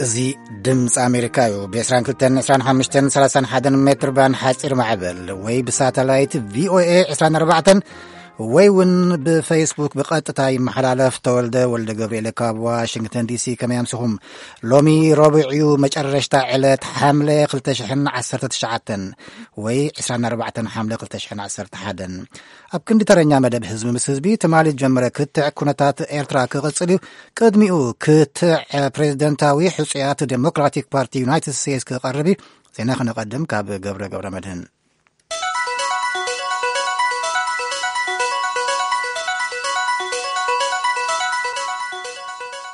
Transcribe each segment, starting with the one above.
እዚ ድምፂ ኣሜሪካ እዩ። ብ22፣ 25፣ 31 ሜትር ባንድ ሓፂር ማዕበል ወይ ብሳተላይት ቪኦኤ 24 ወይ እውን ብፌስቡክ ብቐጥታ ይመሓላለፍ። ተወልደ ወልደ ገብርኤል ካብ ዋሽንግተን ዲሲ። ከመይ ኣምሲኹም? ሎሚ ረቡዕ እዩ፣ መጨረሽታ ዕለት ሓምለ 2019 ወይ 24 ሓምለ 2011። ኣብ ክንዲ ተረኛ መደብ ህዝቢ ምስ ህዝቢ፣ ትማሊ ዝጀመረ ክትዕ ኩነታት ኤርትራ ክቕጽል እዩ። ቅድሚኡ ክትዕ ፕሬዚደንታዊ ሕጹያት ዴሞክራቲክ ፓርቲ ዩናይትድ ስቴትስ ክቐርብ እዩ። ዜና ክነቐድም ካብ ገብረ ገብረ መድህን።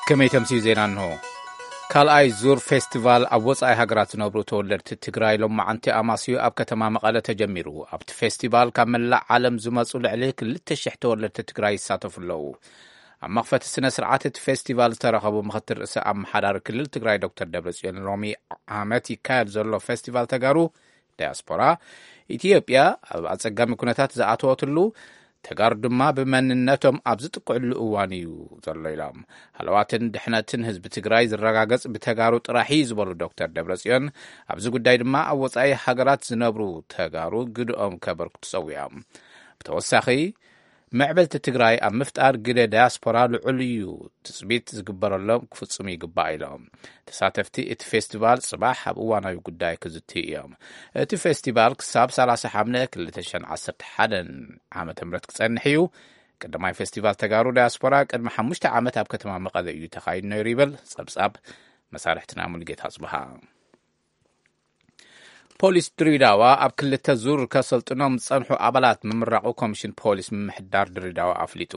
ከመይ ተምስዩ ዜና እንሆ። ካልኣይ ዙር ፌስቲቫል ኣብ ወጻኢ ሃገራት ዝነብሩ ተወለድቲ ትግራይ ሎማዓንቲ ኣማስዩ ኣብ ከተማ መቐለ ተጀሚሩ። ኣብቲ ፌስቲቫል ካብ መላእ ዓለም ዝመጹ ልዕሊ 2,000 ተወለድቲ ትግራይ ይሳተፉ ኣለዉ። ኣብ መኽፈቲ ስነ ስርዓት እቲ ፌስቲቫል ዝተረኸቡ ምኽትል ርእሰ ኣመሓዳሪ ክልል ትግራይ ዶክተር ደብረጽዮን፣ ሎሚ ዓመት ይካየድ ዘሎ ፌስቲቫል ተጋሩ ዳያስፖራ፣ ኢትዮጵያ ኣብ ኣጸጋሚ ኩነታት ዝኣተወትሉ፣ ተጋሩ ድማ ብመንነቶም ኣብ ዝጥቅዕሉ እዋን እዩ ዘሎ ኢሎም። ሃለዋትን ድሕነትን ህዝቢ ትግራይ ዝረጋገጽ ብተጋሩ ጥራሕ እዩ ዝበሉ ዶክተር ደብረጽዮን፣ ኣብዚ ጉዳይ ድማ ኣብ ወጻኢ ሃገራት ዝነብሩ ተጋሩ ግድኦም ከበርክቱ ጸዊዖም። ብተወሳኺ፣ ምዕብልቲ ትግራይ ኣብ ምፍጣር ግደ ዳያስፖራ ልዑል እዩ፣ ትጽቢት ዝግበረሎም ክፍጽሙ ይግባእ ኢሎም። ተሳተፍቲ እቲ ፌስቲቫል ጽባሕ ኣብ እዋናዊ ጉዳይ ክዝትዩ እዮም። እቲ ፌስቲቫል ክሳብ 30 ሓምለ 2011 ዓመተ ምህረት ክጸንሕ እዩ። ቀዳማይ ፌስቲቫል ተጋሩ ዳያስፖራ ቅድሚ ሓሙሽተ ዓመት ኣብ ከተማ መቐለ እዩ ተኻይዱ ነይሩ ይብል ጸብጻብ መሳርሕትና ሙሉጌታ ጽብሃ። ፖሊስ ድሬዳዋ ኣብ ክልተ ዙር ከሰልጥኖም ዝጸንሑ ኣባላት ምምራቑ ኮሚሽን ፖሊስ ምምሕዳር ድሬዳዋ ኣፍሊጡ።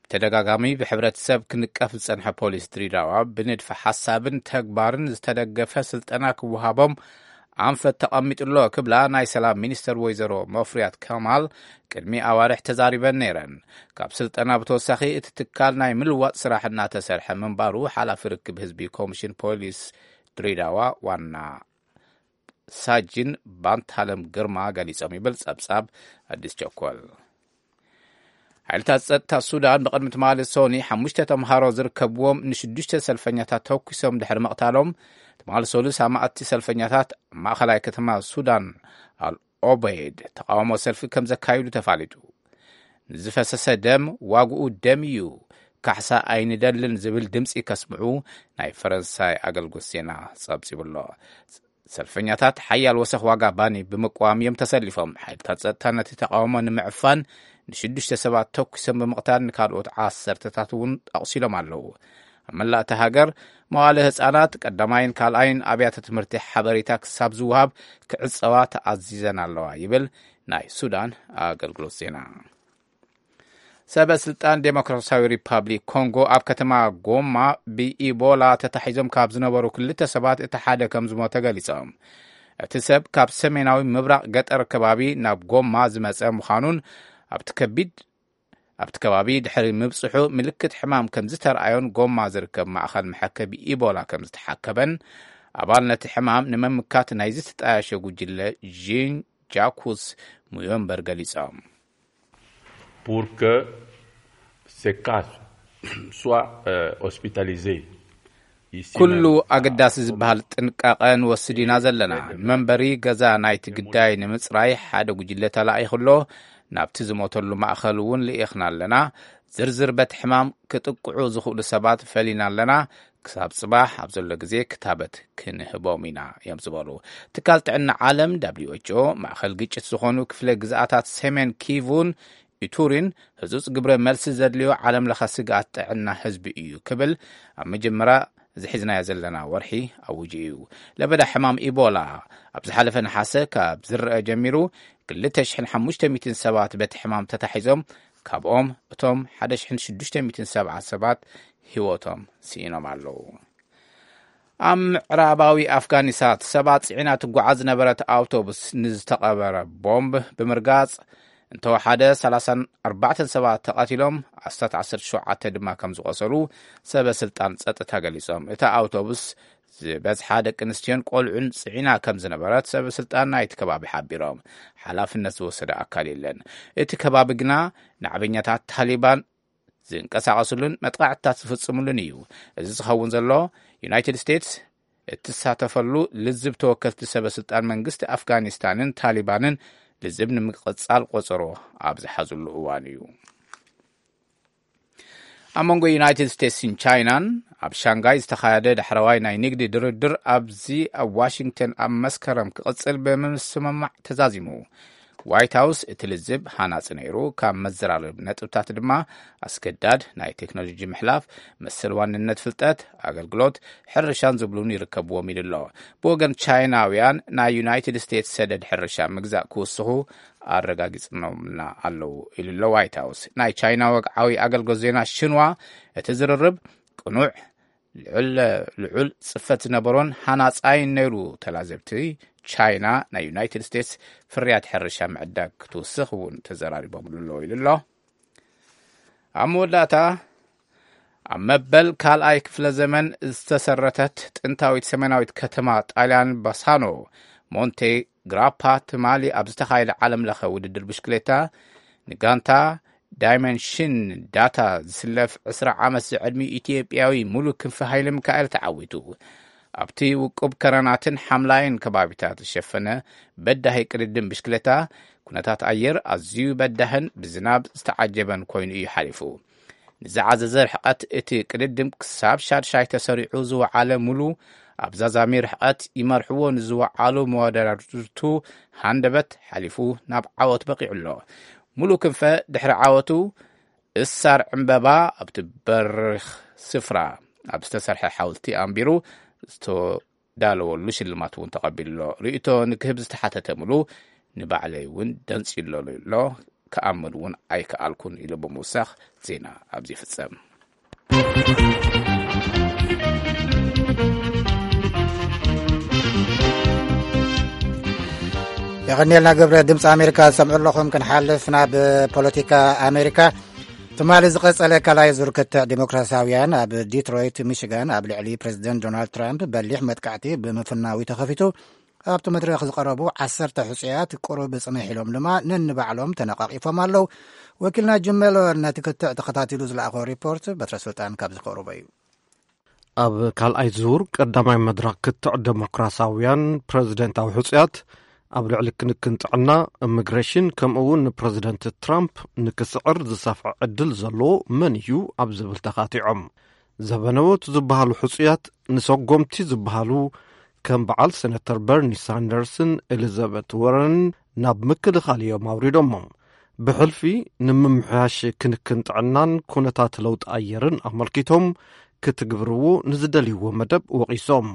ብተደጋጋሚ ብሕብረተሰብ ክንቀፍ ዝጸንሐ ፖሊስ ድሬዳዋ ብንድፈ ሓሳብን ተግባርን ዝተደገፈ ስልጠና ክወሃቦም ኣንፈት ተቐሚጡ ኣሎ ክብላ ናይ ሰላም ሚኒስተር ወይዘሮ መፍሪያት ከማል ቅድሚ ኣዋርሕ ተዛሪበን ነይረን። ካብ ስልጠና ብተወሳኺ እቲ ትካል ናይ ምልዋጥ ስራሕ እናተሰርሐ ምንባሩ ሓላፊ ርክብ ህዝቢ ኮሚሽን ፖሊስ ድሬዳዋ ዋና ሳጅን ባንታለም ግርማ ገሊጾም ይብል ጸብጻብ ኣዲስ ቸኮል። ሓይልታት ጸጥታ ሱዳን ብቕድሚ ትማሊ ሶኒ ሓሙሽተ ተምሃሮ ዝርከብዎም ንሽዱሽተ ሰልፈኛታት ተኩሶም ድሕሪ ምቕታሎም፣ ትማሊ ሶሉስ ኣማእቲ ሰልፈኛታት ኣብ ማእኸላይ ከተማ ሱዳን ኣል ኦበይድ ተቃውሞ ሰልፊ ከም ዘካይዱ ተፋሊጡ። ንዝፈሰሰ ደም ዋግኡ ደም እዩ፣ ካሕሳ ኣይንደልን ዝብል ድምፂ ከስምዑ ናይ ፈረንሳይ ኣገልግሎት ዜና ጸብጺቡ ኣሎ። ሰልፈኛታት ሓያል ወሰኽ ዋጋ ባኒ ብምቅዋም እዮም ተሰሊፎም። ሓይልታት ጸጥታ ነቲ ተቃውሞ ንምዕፋን ንሽዱሽተ ሰባት ተኩሶም ብምቕታል ንካልኦት ዓሰርተታት እውን ኣቑሲሎም ኣለዉ። ኣብ መላእ እታ ሃገር መዋለ ህጻናት፣ ቀዳማይን ካልኣይን ኣብያተ ትምህርቲ ሓበሬታ ክሳብ ዝወሃብ ክዕጸዋ ተኣዚዘን ኣለዋ ይብል ናይ ሱዳን ኣገልግሎት ዜና። ሰበ ስልጣን ዴሞክራሲያዊ ሪፓብሊክ ኮንጎ ኣብ ከተማ ጎማ ብኢቦላ ተታሒዞም ካብ ዝነበሩ ክልተ ሰባት እቲ ሓደ ከም ዝሞተ ገሊጾም። እቲ ሰብ ካብ ሰሜናዊ ምብራቕ ገጠር ከባቢ ናብ ጎማ ዝመጸ ምዃኑን ኣብቲ ከቢድ ኣብቲ ከባቢ ድሕሪ ምብጽሑ ምልክት ሕማም ከም ዝተረኣዮን ጎማ ዝርከብ ማእኸል መሐከቢ ኢቦላ ከም ዝተሓከበን ኣባል ነቲ ሕማም ንምምካት ናይዚ ዝተጣየሸ ጉጅለ ዢን ጃኩስ ሙዮምበር ገሊጾም። Pour que ces cas soient euh, hospitalisés. Ici ኩሉ même. ኣገዳሲ ዝበሃል ጥንቃቐ ንወስድ ኢና ዘለና። መንበሪ ገዛ ናይቲ ግዳይ ንምጽራይ ሓደ ጉጅለ ተላኢኹ ኣሎ። ናብቲ ዝሞተሉ ማእኸል እውን ልኢኽና ኣለና። ዝርዝር በቲ ሕማም ክጥቅዑ ዝኽእሉ ሰባት ፈሊና ኣለና። ክሳብ ጽባሕ ኣብ ዘሎ ግዜ ክታበት ክንህቦም ኢና እዮም ዝበሉ። ትካል ጥዕና ዓለም ደብሊው ኤች ኦ ማእኸል ግጭት ዝኾኑ ክፍለ ግዝኣታት ሰሜን ኪቩን ኢቱሪን ህጹጽ ግብረ መልሲ ዘድልዮ ዓለም ለኸ ስግኣት ጥዕና ህዝቢ እዩ ክብል ኣብ መጀመርያ እዚ ሒዝናዮ ዘለና ወርሒ ኣውጁ እዩ። ለበዳ ሕማም ኢቦላ ኣብ ዝሓለፈ ነሓሰ ካብ ዝረአ ጀሚሩ 2,500 ሰባት በቲ ሕማም ተታሒዞም፣ ካብኦም እቶም 1,670 ሰባት ህይወቶም ስኢኖም ኣለዉ። ኣብ ምዕራባዊ ኣፍጋኒስታን ሰባት ጽዒና ትጓዓዝ ዝነበረት ኣውቶቡስ ንዝተቐበረ ቦምብ ብምርጋጽ እንተወሓደ 34 ሰባት ተቐቲሎም፣ ኣስታት 17 ድማ ከም ዝቖሰሉ ሰበ ስልጣን ጸጥታ ገሊጾም። እታ ኣውቶቡስ ዝበዝሓ ደቂ ኣንስትዮን ቆልዑን ጽዒና ከም ዝነበረት ሰበ ስልጣን ናይቲ ከባቢ ሓቢሮም። ሓላፍነት ዝወሰደ ኣካል የለን። እቲ ከባቢ ግና ናዕበኛታት ታሊባን ዝንቀሳቐስሉን መጥቃዕትታት ዝፍጽምሉን እዩ። እዚ ዝኸውን ዘሎ ዩናይትድ ስቴትስ እትሳተፈሉ ልዝብ ተወከልቲ ሰበ ስልጣን መንግስቲ ኣፍጋኒስታንን ታሊባንን ልዝብ ንምቅጻል ቆጸሮ ኣብ ዝሓዝሉ እዋን እዩ። ኣብ መንጎ ዩናይትድ ስቴትስን ቻይናን ኣብ ሻንጋይ ዝተኻየደ ዳሕረዋይ ናይ ንግዲ ድርድር ኣብዚ ኣብ ዋሽንግተን ኣብ መስከረም ክቕጽል ብምስምማዕ ተዛዚሙ። ዋይት ሃውስ እቲ ልዝብ ሃናጺ ነይሩ፣ ካብ መዘራረቢ ነጥብታት ድማ ኣስገዳድ ናይ ቴክኖሎጂ ምሕላፍ፣ መሰል ዋንነት ፍልጠት፣ ኣገልግሎት፣ ሕርሻን ዝብሉን ይርከብዎም ኢሉ ኣሎ። ብወገን ቻይናውያን ናይ ዩናይትድ ስቴትስ ሰደድ ሕርሻ ምግዛእ ክውስኹ ኣረጋጊጽኖምና ኣለዉ ኢሉ ኣሎ ዋይት ሃውስ። ናይ ቻይና ወግዓዊ ኣገልግሎት ዜና ሽንዋ እቲ ዝርርብ ቅኑዕ ልዑል ጽፈት ዝነበሮን ሃናጻይን ነይሩ። ተላዘብቲ ቻይና ናይ ዩናይትድ ስቴትስ ፍርያት ሕርሻ ምዕዳግ ክትውስኽ እውን ተዘራሪቦምሉ ኣለዉ ኢሉ ኣሎ። ኣብ መወዳእታ ኣብ መበል ካልኣይ ክፍለ ዘመን ዝተሰረተት ጥንታዊት ሰሜናዊት ከተማ ጣልያን ባሳኖ ሞንቴ ግራፓ ትማሊ ኣብ ዝተኻየደ ዓለም ለኸ ውድድር ብሽክሌታ ንጋንታ ዳይመንሽን ዳታ ዝስለፍ ዕስራ ዓመት ዝዕድሚ ኢትዮጵያዊ ሙሉ ክንፈ ሃይለ ሚካኤል ተዓዊቱ። ኣብቲ ውቁብ ከረናትን ሓምላይን ከባቢታት ዝሸፈነ በዳሂ ቅድድም ብሽክሌታ ኩነታት ኣየር ኣዝዩ በዳህን ብዝናብ ዝተዓጀበን ኮይኑ እዩ ሓሊፉ። ንዝዓዘዘ ርሕቀት እቲ ቅድድም ክሳብ ሻድሻይ ተሰሪዑ ዝወዓለ ሙሉ ኣብ ዛዛሚ ርሕቀት ይመርሕዎ ንዝወዓሉ መወዳድርቱ ሃንደበት ሓሊፉ ናብ ዓወት በቂዑ ኣሎ። ሙሉ ክንፈ ድሕሪ ዓወቱ እሳር ዕምበባ ኣብቲ በሪኽ ስፍራ ኣብ ዝተሰርሐ ሓውልቲ ኣንቢሩ ዝተዳለወሉ ሽልማት እውን ተቐቢሉ ኣሎ። ርእይቶ ንክህብ ዝተሓተተ ሙሉ ንባዕለይ እውን ደንፂ ኣሎ ኣሎ ክኣምን እውን ኣይከኣልኩን ኢሉ ብምውሳኽ ዜና ኣብዚ ይፍጸም። የቐኒልና ገብረ። ድምፂ ኣሜሪካ ዝሰምዑ ኣለኹም። ክንሓልፍ ናብ ፖለቲካ ኣሜሪካ። ትማሊ ዝቐጸለ ካልኣይ ዙር ክትዕ ዲሞክራሲያውያን ኣብ ዲትሮይት ሚሽጋን ኣብ ልዕሊ ፕሬዚደንት ዶናልድ ትራምፕ በሊሕ መጥቃዕቲ ብምፍናዊ ተኸፊቱ። ኣብቲ መድረኽ ዝቐረቡ ዓሰርተ ሕጹያት ቁሩብ ጽንሕ ኢሎም ድማ ነንባዕሎም ተነቓቒፎም ኣለዉ። ወኪልና ጅመሎ ነቲ ክትዕ ተኸታቲሉ ዝለኣኾ ሪፖርት በትረ ስልጣን ካብ ዝኸርቦ እዩ። ኣብ ካልኣይ ዙር ቀዳማይ መድረኽ ክትዕ ዴሞክራሲያውያን ፕረዚደንታዊ ሕጹያት ኣብ ልዕሊ ክንክን ጥዕና፣ ኢሚግሬሽን፣ ከምኡ እውን ንፕረዚደንት ትራምፕ ንክስዕር ዝሰፍሐ ዕድል ዘለዎ መን እዩ ኣብ ዝብል ተኻቲዖም። ዘበነዎት ዝበሃሉ ሕጹያት ንሰጎምቲ ዝበሃሉ ከም በዓል ሴነተር በርኒ ሳንደርስን ኤሊዛቤት ወረንን ናብ ምክልኻል እዮም ኣውሪዶሞም። ብሕልፊ ንምምሕያሽ ክንክን ጥዕናን ኩነታት ለውጢ ኣየርን ኣመልኪቶም ክትግብርዎ ንዝደልይዎ መደብ ወቒሶም።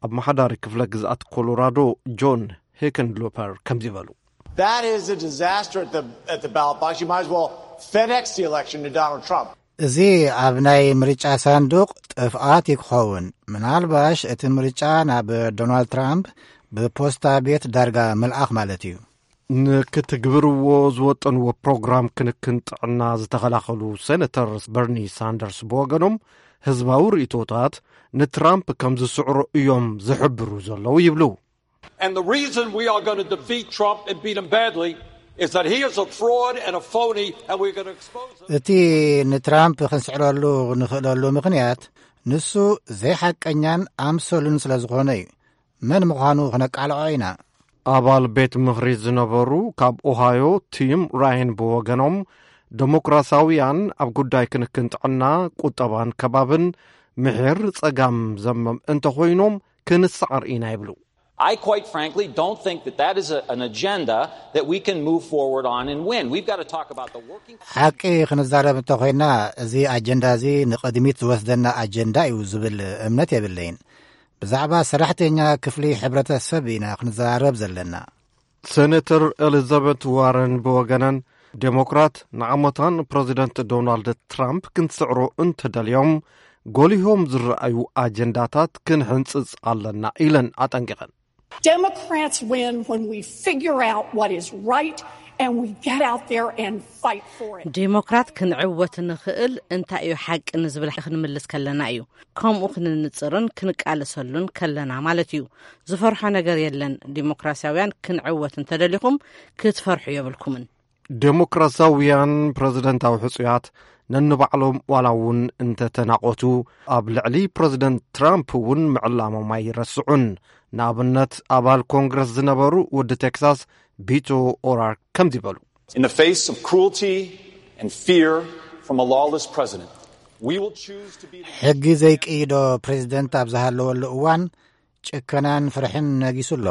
ኣመሓዳሪ ክፍለ ግዝኣት ኮሎራዶ ጆን ሄከንሎፐር ከምዚ በሉ። That is a disaster at the, at the ballot box. You might as well FedEx the election to Donald Trump. እዚ ኣብ ናይ ምርጫ ሳንዱቕ ጥፍኣት እዩ ክኸውን። ምናልባሽ እቲ ምርጫ ናብ ዶናልድ ትራምፕ ብፖስታ ቤት ዳርጋ ምልኣኽ ማለት እዩ። ንክትግብርዎ ዝወጠንዎ ፕሮግራም ክንክን ጥዕና ዝተኸላኸሉ ሴነተር በርኒ ሳንደርስ ብወገኖም፣ ህዝባዊ ርእይቶታት ንትራምፕ ከም ዝስዕሮ እዮም ዝሕብሩ ዘለዉ ይብሉ። And the reason we are going to defeat Trump and beat him badly is that he is a fraud and a phony, and we're going to expose him. እቲ ንትራምፕ ክንስዕረሉ ንኽእለሉ ምኽንያት፣ ንሱ ዘይሓቀኛን ኣምሰሉን ስለ ዝኾነ እዩ። መን ምዃኑ ክነቃልዖ ኢና። ኣባል ቤት ምኽሪ ዝነበሩ ካብ ኦሃዮ ቲም ራይን ብወገኖም፣ ዴሞክራሲያውያን ኣብ ጉዳይ ክንክን ጥዕና፣ ቁጠባን ከባብን ምሒር ጸጋም ዘመም እንተኾይኖም ክንሰዓር ኢና ይብሉ። I quite frankly don't think that that is a, an agenda that we can move forward on and win. We've got to talk about the working ሓቂ ክንዛረብ እንተኾይና፣ እዚ ኣጀንዳ እዚ ንቕድሚት ዝወስደና ኣጀንዳ እዩ ዝብል እምነት የብለይን። ብዛዕባ ሰራሕተኛ ክፍሊ ሕብረተሰብ ኢና ክንዘራረብ ዘለና። ሴነተር ኤሊዛቤት ዋረን ብወገነን፣ ዴሞክራት ንዓመታን ፕረዚደንት ዶናልድ ትራምፕ ክንስዕሮ እንተደልዮም፣ ጎሊሆም ዝረኣዩ ኣጀንዳታት ክንሕንጽጽ ኣለና ኢለን ኣጠንቂቐን። Democrats win when we figure out what is right and we get out there and fight for it. ዴሞክራት ክንዕወት ንኽእል እንታይ እዩ ሓቂ ንዝብል ክንምልስ ከለና እዩ። ከምኡ ክንንጽርን ክንቃለሰሉን ከለና ማለት እዩ። ዝፈርሖ ነገር የለን። ዲሞክራሲያውያን ክንዕወት እንተደሊኹም ክትፈርሑ የብልኩምን። ዴሞክራሲያውያን ፕረዚደንታዊ ሕጹያት ነንባዕሎም ዋላ እውን እንተተናቖቱ፣ ኣብ ልዕሊ ፕረዚደንት ትራምፕ እውን ምዕላሞም ኣይረስዑን። ንኣብነት፣ ኣባል ኮንግረስ ዝነበሩ ወዲ ቴክሳስ ቢቶ ኦራርክ ከምዚ በሉ። In the face of cruelty and fear from a lawless president, we will choose to be ሕጊ ዘይቅይዶ ፕሬዚደንት ኣብ ዝሃለወሉ እዋን፣ ጭከናን ፍርሕን ነጊሱ ኣሎ።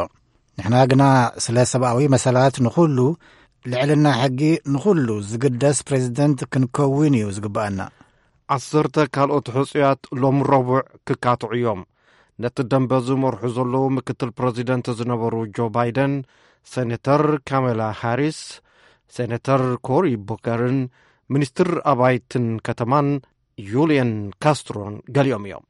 ንሕና ግና ስለ ሰብኣዊ መሰላት ንኹሉ፣ ልዕልና ሕጊ ንኹሉ ዝግደስ ፕሬዚደንት ክንከውን እዩ ዝግብኣና። ዓሰርተ ካልኦት ሕጹያት ሎም ረቡዕ ክካትዑ እዮም። ነቲ ደንበ ዝመርሑ ዘለዉ ምክትል ፕረዚደንት ዝነበሩ ጆ ባይደን፣ ሴኔተር ካሜላ ሃሪስ፣ ሴኔተር ኮሪ ቡከርን፣ ሚኒስትር ኣባይትን ከተማን ዩልየን ካስትሮን ገሊኦም እዮም።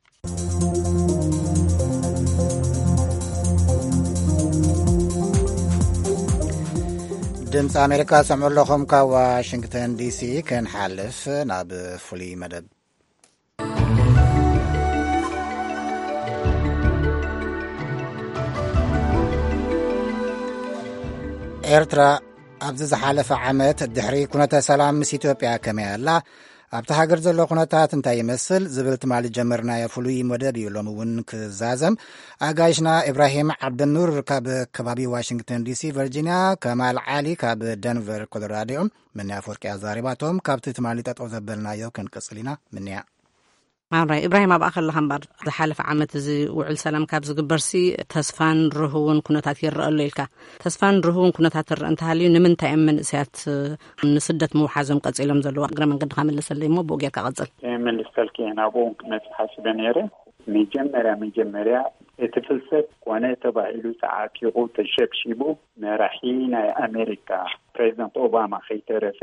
ድምፂ ኣሜሪካ ትሰምዑ ኣለኹም። ካብ ዋሽንግተን ዲሲ ክንሓልፍ ናብ ፍሉይ መደብ። ኤርትራ ኣብዚ ዝሓለፈ ዓመት ድሕሪ ኩነተ ሰላም ምስ ኢትዮጵያ ከመይ ኣላ? ኣብቲ ሃገር ዘሎ ኩነታት እንታይ ይመስል? ዝብል ትማሊ ጀመርናዮ ፍሉይ መደብ እዩ ሎሚ እውን ክዛዘም። ኣጋይሽና ኢብራሂም ዓብደኑር ካብ ከባቢ ዋሽንግተን ዲሲ፣ ቨርጂንያ፣ ከማል ዓሊ ካብ ደንቨር ኮሎራዶ እዮም። ምንያ ኣፈወርቂ ኣዛሪባቶም። ካብቲ ትማሊ ጠጠው ዘበልናዮ ክንቅጽል ኢና። ምንያ። ኣራይ ኢብራሂም፣ ኣብኣ ከለኻ እምበር ዝሓለፈ ዓመት እዚ ውዕል ሰላም ካብ ዝግበርሲ ተስፋን ርህውን ኩነታት ይረአ ኣሎ ኢልካ። ተስፋን ርህውን ኩነታት ትረአ እንተሃልዩ፣ ንምንታይ እዮም መንእሰያት ንስደት ምውሓዞም ቀጺሎም ዘለዉ? እግረ መንገድኻ መልሰለይ እሞ ብኡ ጌርካ ቀጽል። መልሰልኪ እየ፣ ናብኡ እውን ክመጽእ ሓሲበ ነይረ። መጀመርያ መጀመርያ እቲ ፍልሰት ኮነ ተባሂሉ ተዓጢቑ ተሸብሺቡ መራሒ ናይ ኣሜሪካ ፕሬዚደንት ኦባማ ከይተረፈ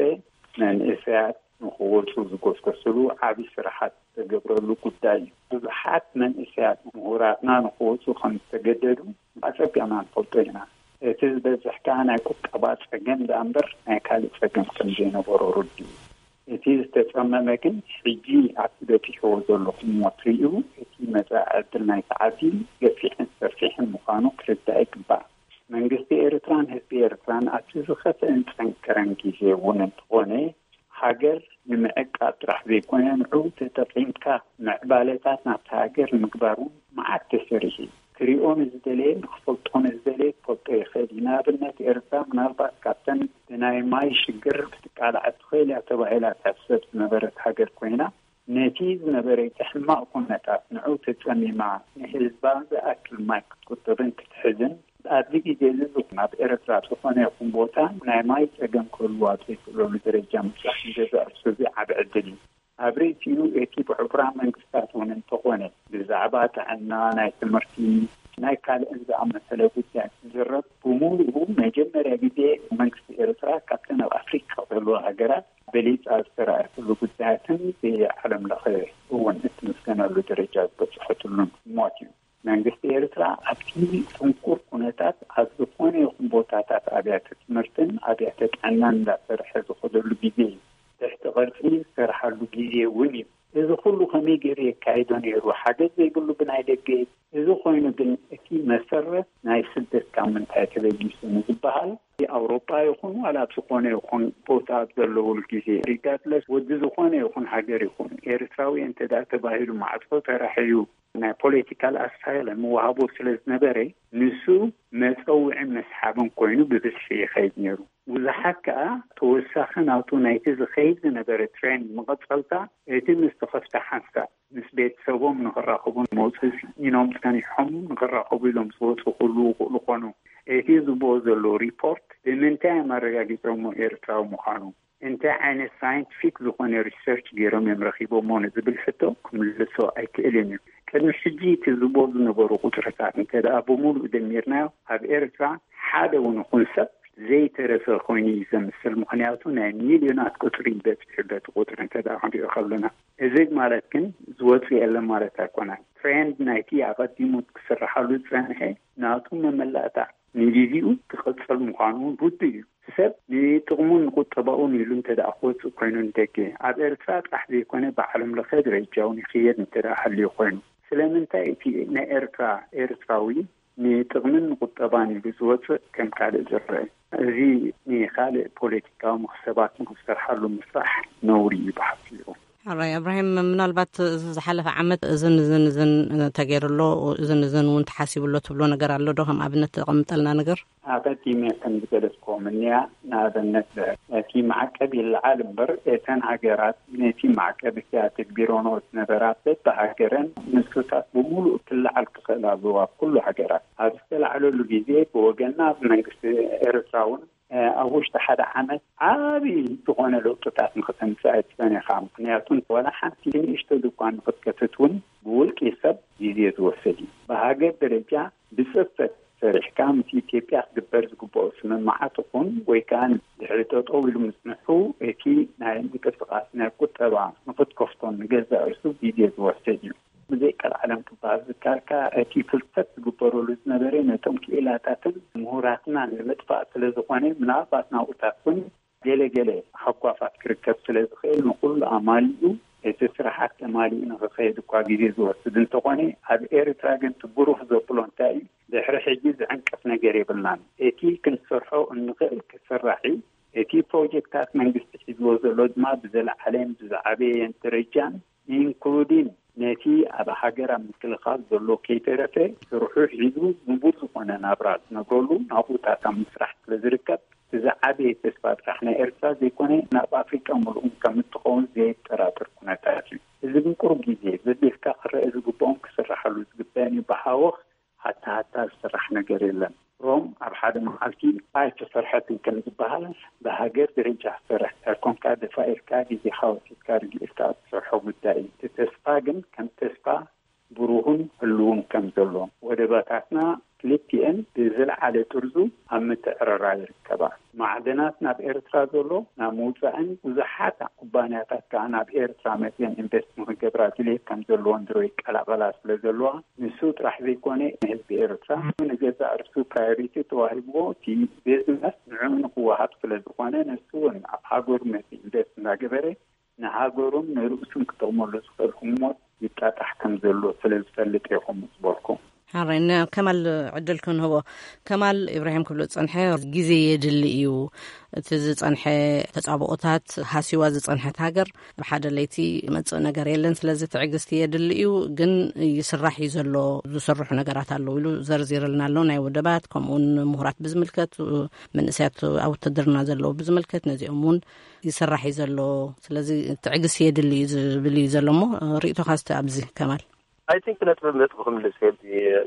መንእሰያት ንኽወፁ ዝጎስጎስሉ ዓብዪ ስራሓት ዝተገብረሉ ጉዳይ እዩ። ብዙሓት መንእሰያት ምሁራትና ንኽወፁ ከም ዝተገደዱ ኣፀቢቕና ንፈልጦ ኢና። እቲ ዝበዝሕ ከዓ ናይ ቁጠባ ፀገም ደኣ እምበር ናይ ካልእ ፀገም ከም ዘይነበሮ ርዱእ እዩ። እቲ ዝተፀመመ ግን ሕጂ ኣብቲ በፂሕዎ ዘለኹም ሞት ርእዩ እቲ መፃኢ ዕድል ናይቲ ዓዲ ገፊሕን ሰፊሕን ምዃኑ ክርዳእ ይግባእ። መንግስቲ ኤርትራን ህዝቢ ኤርትራን ኣብቲ ዝኸፍአን ዝጸንከረን ግዜ እውን እንተኾነ፣ ሃገር ንምዕቃብ ጥራሕ ዘይኮነ፣ ንዕኡ ተጠቒምካ ምዕባለታት ናብታ ሃገር ንምግባር እውን መዓት ተሰሪሑ እዩ። ክሪኦ ንዝደለየ፣ ንኽፈልጦ ንዝደለየ ክፈልጦ ይኽእል እዩ። ንኣብነት፣ ኤርትራ ምናልባት ካብተን ብናይ ማይ ሽግር ክትቃላዕ ትኽእል እያ ተባሂላ ትሕሰብ ዝነበረት ሃገር ኮይና፣ ነቲ ዝነበረ እቲ ሕማቕ ኩነታት ንዑ ተጸሚማ ንህዝባ ዝኣክል ማይ ክትቁጥብን ክትሕዝን ኣብዚ ግዜ እዚ ኣብ ኤርትራ ዝኾነ ይኹን ቦታ ናይ ማይ ጸገም ክህልዋ ኣብ ዘይክእለሉ ደረጃ ምብጻሕ ንገዛእ ርእሱ እዚ ዓቢ ዕድል እዩ። ኣብ ርእሲኡ እቲ ብሕቡራት መንግስታት እውን እንተኾነ ብዛዕባ ጥዕና፣ ናይ ትምህርቲ፣ ናይ ካልእን ዝኣመሰለ ጉዳያት ዝዝረብ ብምሉኡ መጀመርያ ግዜ መንግስቲ ኤርትራ ካብተን ኣብ ኣፍሪቃ ዘለዋ ሃገራት በሊጻ ዝተራእየትሉ ጉዳያትን ብዓለም ለኸ እውን እትምስገነሉ ደረጃ ዝበጽሐትሉን ሞት እዩ። መንግስቲ ኤርትራ ኣብቲ ጽንኩር ኩነታት ኣብ ዝኾነ ይኹን ቦታታት ኣብያተ ትምህርትን ኣብያተ ጥዕናን እንዳሰርሐ ዝኸደሉ ግዜ እዩ። ትሕቲ ቅርጺ ዝሰርሓሉ ግዜ እውን እዩ። እዚ ኩሉ ከመይ ገይሩ የካይዶ ነይሩ? ሓገዝ ዘይብሉ ብናይ ደገ። እዚ ኮይኑ ግን እቲ መሰረት ናይ ስደት ካብ ምንታይ ተበጊሱ ንዝበሃል፣ ኣውሮጳ ይኹን ዋላ ኣብ ዝኾነ ይኹን ቦታ ኣብ ዘለውሉ ግዜ፣ ሪጋርድለስ ወዲ ዝኾነ ይኹን ሃገር ይኹን ኤርትራዊ እንተ ደኣ ተባሂሉ ማዕጾ ተራሕዩ ናይ ፖለቲካል ኣሳይለም ምወሃቦ ስለ ዝነበረ፣ ንሱ መጸውዒን መስሓብን ኮይኑ ብብዝሒ ይኸይድ ነይሩ። ብዙሓት ከኣ ተወሳኺ ናቱ ናይቲ ዝኸይድ ዝነበረ ትሬንድ መቐጸልታ፣ እቲ ምስ ተኸፍተ ሓንሳብ ምስ ቤተሰቦም ንኽራኸቡ መውፅእ ኢኖም ጸኒሖም ንኽራኸቡ ኢሎም ዝወፁ ክህልዉ ይኽእሉ ኮኑ። እቲ ዝብኦ ዘለዉ ሪፖርት ብምንታይ እዮም ኣረጋጊጾሞ ኤርትራዊ ምዃኑ? እንታይ ዓይነት ሳይንቲፊክ ዝኾነ ሪሰርች ገይሮም እዮም ረኺቦሞ ንዝብል ሕቶ ክምልሶ ኣይክእልን እዩ። ቅድሚ ሕጂ እቲ ዝብኦ ዝነበሩ ቁፅርታት እንተ ደኣ ብምሉእ ደሚርናዮ ኣብ ኤርትራ ሓደ እውን ይኹን ሰብ ዘይተረፈ ኮይኑ እዩ ዘምስል። ምኽንያቱ ናይ ሚልዮናት ቁፅሪ ይበፅሕ በቲ ቁፅሪ እንተ ደኣ ክንሪኦ ከለና። እዚ ማለት ግን ዝወፅእ የለን ማለት ኣይኮነን። ትሬንድ ናይቲ ኣቐዲሙ ክስርሓሉ ዝፀንሐ ናቱ መመላእታ ንግዜኡ ክቕጽል ምዃኑ እውን ርዱእ እዩ። ሰብ ንጥቕሙን ንቁጠባኡን ኢሉ እንተ ደኣ ክወጽእ ኮይኑ ንደገ፣ ኣብ ኤርትራ ጥራሕ ዘይኮነ ብዓለም ለኸ ደረጃ እውን ይኽየድ እንተ ደኣ ሃልዩ ኮይኑ፣ ስለምንታይ እቲ ናይ ኤርትራ ኤርትራዊ ንጥቕምን ንቁጠባን ኢሉ ዝወጽእ ከም ካልእ ዝረአ? እዚ ንኻልእ ፖለቲካዊ መኽሰባት ንኽሰርሓሉ ምስራሕ ነውሪ እዩ ብሓፂሩ። ሕራይ እብራሂም፣ ምናልባት እዚ ዝሓለፈ ዓመት እዝን እዝን እዝን ተገይሩሎ፣ እዝን እዝን እውን ተሓሲቡሎ ትብሎ ነገር ኣሎ ዶ? ከም ኣብነት ተቐምጠልና ነገር። ኣቐዲመ ከም ዝገለጽክዎ ምንያ፣ ንኣብነት እቲ ማዕቀብ ይለዓል እምበር፣ እተን ሃገራት ነቲ ማዕቀብ እቲ ኣተግቢሮኖ ዝነበራ በብሃገረን ንሱታት ብምሉእ ክለዓል ክኽእል ኣለዎ። ኣብ ኩሉ ሃገራት ኣብ ዝተላዕለሉ ግዜ ብወገንና፣ ብመንግስቲ ኤርትራ እውን ኣብ ውሽጢ ሓደ ዓመት ዓቢ ዝኾነ ለውጥታት ንኽተምፅእ ኣይትኽእልን ኢኻ። ምኽንያቱ ዋላ ሓንቲ ንእሽቶ ድኳን ንኽትከፍት እውን ብውልቂ ሰብ ግዜ ዝወስድ እዩ። ብሃገር ደረጃ ብፅፈት ሰሪሕካ ምስ ኢትዮጵያ ክግበር ዝግብኦ ስምምዓት ይኹን ወይ ከዓ ድሕሪ ጠጠው ኢሉ ምፅንሑ፣ እቲ ናይ ምንቅስቃስ ናይ ቁጠባ ንኽትከፍቶን ንገዛእ ርእሱ ግዜ ዝወስድ እዩ። ብዘይ ቀልዓለም ክበሃል ዝካልካ፣ እቲ ፍልሰት ዝግበረሉ ዝነበረ ነቶም ክኢላታትን ምሁራትናን ንምጥፋእ ስለ ዝኾነ፣ ምናልባት ናብኡታት እውን ገለ ገለ ሃጓፋት ክርከብ ስለ ዝኽእል፣ ንኹሉ ኣማሊኡ እቲ ስራሓት ተማሊኡ ንኽኸይድ እኳ ግዜ ዝወስድ እንተኾነ፣ ኣብ ኤርትራ ግን እቲ ብሩህ ዘብሎ እንታይ እዩ? ድሕሪ ሕጂ ዝዕንቅፍ ነገር የብልናን። እቲ ክንሰርሖ እንኽእል ክስራሕ እዩ። እቲ ፕሮጀክታት መንግስቲ ሒዝዎ ዘሎ ድማ ብዘለዓለን ብዝዓበየን ደረጃን፣ ኢንክሉዲን ነቲ ኣብ ሃገር ኣብ ምክልኻል ዘሎ ከይተረፈ ስርሑ ሒዙ ንቡር ዝኾነ ናብራ ዝነብረሉ ናብኡታት ኣብ ምስራሕ ስለ ዝርከብ፣ እቲ ዝዓበየ ተስፋ ጥራሕ ናይ ኤርትራ ዘይኮነ፣ ናብ ኣፍሪቃ ምሉእ ከም እትኸውን ዘየጠራጥር ኩነታት እዩ። እዚ ግን ቁሩብ ግዜ ዘቢልካ ክረአ ዝግብኦም ክስራሓሉ ዝግበእን እዩ። ብሃወኽ ሃታ ሃታ ዝስራሕ ነገር የለን። ሮም ኣብ ሓደ መዓልቲ ኣይተሰርሐትን ከም ዝበሃል፣ ብሃገር ደረጃ ክትሰርሕ እንተር ኮንካ፣ ደፋ ኢልካ ግዜኻ ወሲድካ ርግእ ኢልካ እትሰርሖ ጉዳይ እዩ። እቲ ተስፋ ግን ከም ተስፋ ብሩህን ህልውን ከም ዘሎ፣ ወደባታትና ክልቲኤን ብዝለዓለ ጥርዙ ኣብ ምትዕርራይ ይርከባ። ማዕድናት ናብ ኤርትራ ዘሎ ናብ ምውፃእን ብዙሓት ኩባንያታት ከዓ ናብ ኤርትራ መፅየን ኢንቨስት ንክገብራ ድሌት ከም ዘለዎን ድሮ ይቀላቐላ ስለ ዘለዋ፣ ንሱ ጥራሕ ዘይኮነ ንህዝቢ ኤርትራ ንገዛእ ርእሱ ፕራዮሪቲ ተዋሂብዎ፣ እቲ ቢዝነስ ንዕኡ ንክወሃብ ስለ ዝኾነ፣ ንሱ እውን ኣብ ሃገሩ መፂኡ ኢንቨስት እናገበረ ንሃገሩን ንርእሱን ክጠቕመሉ ዝኽእል ህሞት ይጣጣሕ ከም ዘሎ ስለ ዝፈልጥ እየ ከምኡ ዝበልኩ። ሓራይ፣ ንከማል ዕድል ክንህቦ። ከማል፣ ኢብራሂም ክብሎ ዝጸንሐ ግዜ የድሊ እዩ። እቲ ዝጸንሐ ተጻብኦታት ሃሲዋ ዝጸንሐት ሃገር ብሓደ ለይቲ መጽእ ነገር የለን። ስለዚ ትዕግስቲ የድሊ እዩ፣ ግን ይስራሕ እዩ ዘሎ። ዝስርሑ ነገራት ኣለዉ ኢሉ ዘርዚርልና ኣሎ። ናይ ውድባት፣ ከምኡውን ምሁራት ብዝምልከት፣ መንእሰያት ኣብ ውትድርና ዘለዉ ብዝምልከት፣ ነዚኦም እውን ይስራሕ እዩ ዘሎ። ስለዚ ትዕግስቲ የድሊ እዩ ዝብል እዩ ዘሎ። እሞ ርእይቶኻ እስቲ ኣብዚ ከማል። ኣይ ቲንክ ነጥቢ ነጥቢ ክምልስ ሄድ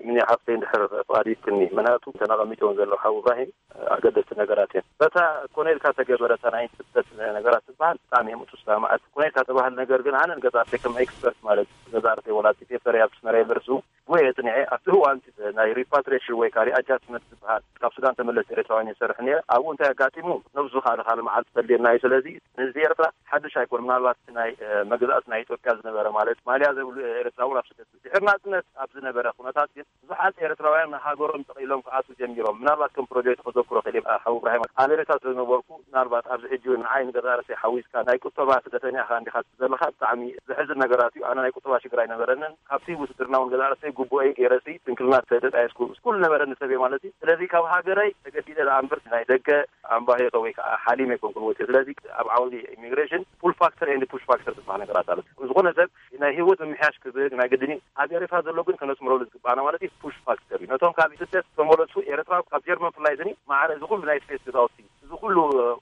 ምን ሓፍተይ እንድሕር ፍቓድ ይትኒ። ምክንያቱ እተን ኣቐሚጦም ዘለዉ ሓው እብራሂም ኣገደስቲ ነገራት እዮም። በታ ኮነ ኢልካ ተገበረ፣ እታ ናይ ስደት ነገራት ትበሃል ብጣዕሚ እዮም እቱ ስማማዓት። ኮነ ኢልካ ተባህል ነገር ግን ኣነ ንገዛእተይ ከም ኤክስፐርት ማለት ገዛእተይ ወላ ቲቴፈር ኣብ ስመራ ዩኒቨርሲቲ ወይ የጽንዐ ኣብቲ እዋን ናይ ሪፓትሪሽን ወይ ከዓ ሪኣጃስትመንት ዝበሃል ካብ ሱዳን ተመለስ ኤርትራውያን ይሰርሕ ነይረ። ኣብኡ እንታይ ኣጋጢሙ ነብሱ ከዓ ንካልእ መዓልቲ ተልየና እዩ። ስለዚ ንህዝቢ ኤርትራ ሓድሽ ኣይኮን። ምናልባት ናይ መግዛእቲ ናይ ኢትዮጵያ ዝነበረ ማለት ማልያ ዘይብሉ ኤርትራ እውን ኣብ ስደት ድሕሪ ናጽነት ኣብ ዝነበረ ኩነታት ግን ብዙሓት ኤርትራውያን ንሃገሮም ጠቒሎም ክኣትዉ ጀሚሮም። ምናልባት ከም ፕሮጀክት ክዘክሮ ክእል ሓው እብራሂም ኣሜሪካ ስለ ዝነበርኩ ምናልባት ኣብዚ ሕጂ እውን ንዓይ ንገዛ ርእሰይ ሓዊስካ ናይ ቁጠባ ስደተኛ ኢኻ እንዲኻ ዘለኻ ብጣዕሚ ዘሕዝን ነገራት እዩ። ኣነ ናይ ቁጠባ ሽግር ኣይነበረንን። ካብቲ ውትድርና እውን ገዛ ርእሰይ ግቡኤ ገይረሲ ስንክልና ተደጣየስኩ ኩሉ ነበረኒ ሰብ እየ ማለት እዩ። ስለዚ ካብ ሃገረይ ተገዲደ ደኣ እምበር ናይ ደገ ኣምባሄጦ ወይ ከዓ ሓሊም ኣይኮንኩን ወፂኦ። ስለዚ ኣብ ዓውዲ ኢሚግሬሽን ፑል ፋክተር ኤንድ ፑሽ ፋክተር ዝበሃል ነገራት ኣሎ። ዝኾነ ሰብ ናይ ህይወት ምምሕያሽ ክብል ናይ ግድኒ ኣብ ኤርትራ ዘሎ ግን ከነስምረሉ ዝግባና ማለት እዩ ፑሽ ፋክተር እዩ። ነቶም ካብ ስደት ተመለሱ ኤርትራ ካብ ጀርመን ፍላይ ዝኒ ማዕረ እዚ ኩሉ ናይ ስፔስ ገዛውቲ እዚ ኩሉ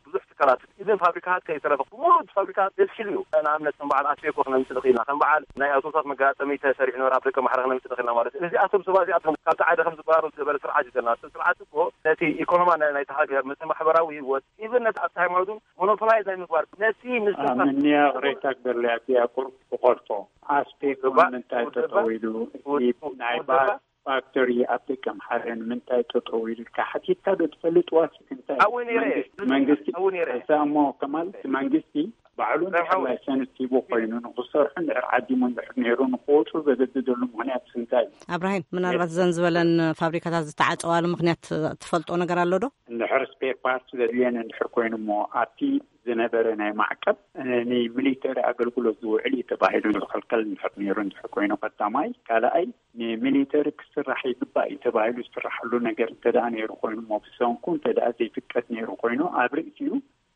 ብዙሕ ትካላት ኢቨን ፋብሪካታት ከይተረፈ ብሙሉ እቲ ፋብሪካታት ዘስኪሉ እዩ። ንኣብነት ከም በዓል ኣስቤኮ ክነምፅእ ንኽእልና ከም በዓል ናይ ኣውቶቡሳት መጋጠሚ ተሰሪሑ ነበረ ኣብ ደቀ ማሕረ ክነምፅእ ንኽእልና ማለት እዩ። እዚኣቶም ሰባት እዚኣቶም ካብቲ ዓደ ከም ዝበሃሩ ዝገበረ ስርዓት እዩ ዘለና። እቲ ስርዓት እኮ ነቲ ኢኮኖማ ናይ- ናይቲ ሃገር ነቲ ማሕበራዊ ህይወት ኢቨን ነቲ ኣብቲ ሃይማኖት እውን ሞኖፖላይዝ ናይ ምግባር ነቲ ምስ ኣምንያ ቅሬታ ክገርልያ እዚኣ ቁርብ ክቆርጦ ኣስቤኮ ግባእ ንምንታይ ውድባ- ጠጠው ኢሉ እቲ ውድ- ናይ ውድባ ባስ ፋክተሪ ኣብ ደቀ ምሓረ ንምንታይ ጠጠው ኢሉ ኢልካ ሓቲትካ ዶ ትፈልጥ? ዋሲት እንታይ ኣብኡ ነይረ። መንግስቲ መንግስቲ ኣብኡ ነይረ። እዛ እሞ ከማል እቲ መንግስቲ ባዕሉ እንድሕር ላይሰንስ ሂቡ ኮይኑ ንክሰርሑ እንድሕር ዓዲሙ እንድሕር ነይሩ ንክወፁ ዘገድደሉ ምክንያት እንታይ እዩ? ኣብራሂም፣ ምናልባት ዘን ዝበለን ፋብሪካታት ዝተዓፀዋሉ ምክንያት ትፈልጦ ነገር ኣሎ ዶ? እንድሕር ስፔር ፓርት ዘድልየን እንድሕር ኮይኑ እሞ ኣብቲ ዝነበረ ናይ ማዕቀብ ንሚሊተሪ ኣገልግሎት ዝውዕል እዩ ተባሂሉ ዝኸልከል እንድሕር ነይሩ እንድሕር ኮይኑ ቀዳማይ፣ ካልኣይ፣ ንሚሊተሪ ክስራሕ ይግባእ እዩ ተባሂሉ ዝስራሐሉ ነገር እንተ ደኣ ነይሩ ኮይኑ እሞ ብሰንኩ እንተ ደኣ ዘይፍቀድ ነይሩ ኮይኑ ኣብ ርእሲኡ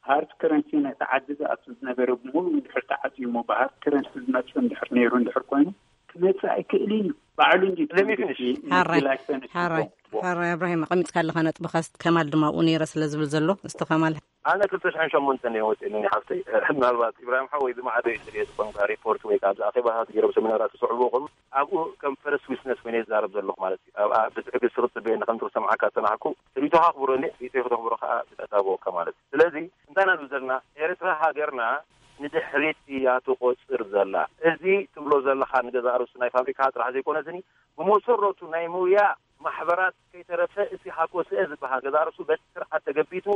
ሃርድ ከረንሲ ነቲ ዓዲ ዝኣቱ ዝነበረ ብምሉእ እንድሕር ተዓፅዩ እሞ ብሃርድ ከረንሲ ዝመፅእ እንድሕር ነይሩ እንድሕር ኮይኑ ክመፅእ ኣይክእልን እዩ። ባዕሉ እንዲ Let me finish. ሓራይ ሓራይ ሓራይ ኣብራሂም፣ ኣቐሚጥካ ኣለኻ ነጥብኻ። ከማል ድማ ኣብኡ ነይረ ስለ ዝብል ዘሎ እስቲ ከማል። ኣነ ክልተ ሽሕን ሸሞንተን እየ ወፂእኒ ሓፍተይ። ምናልባት ኢብራሂም ሓወይ ዝመዓዶ እዩ ዝርየ ዝኾንካ ሪፖርት ወይ ከዓ ኣብዚ ኣኼባታት ገይሮም ሰሚናራት ዝስዕቡ ከሉ ኣብኡ ከም ፈረስ ዊትነስ ኮይነ ዝዛረብ ዘለኹ ማለት እዩ። ኣብኣ ብትዕግስቲ ክትፅበየኒ ከም ዝሰምዓካ ዝፀናሕኩ ርእይቶኻ ኣኽብሮ እንዴ ርእይቶ ከተኽብሮ ከዓ ብተታብኦካ ማለት እዩ። ስለዚ እንታይ ኢና ንብል ዘለና? ኤርትራ ሃገርና ንድሕሪት እያ ትቆፅር ዘላ። እዚ ትብሎ ዘለኻ ንገዛእ ርእሱ ናይ ፋብሪካ ጥራሕ ዘይኮነስኒ ብመሰረቱ ናይ ምውያ ማሕበራት ከይተረፈ እቲ ሃኮስኤ ዝበሃል ገዛእ ርእሱ በቲ ስርዓት ተገቢቱ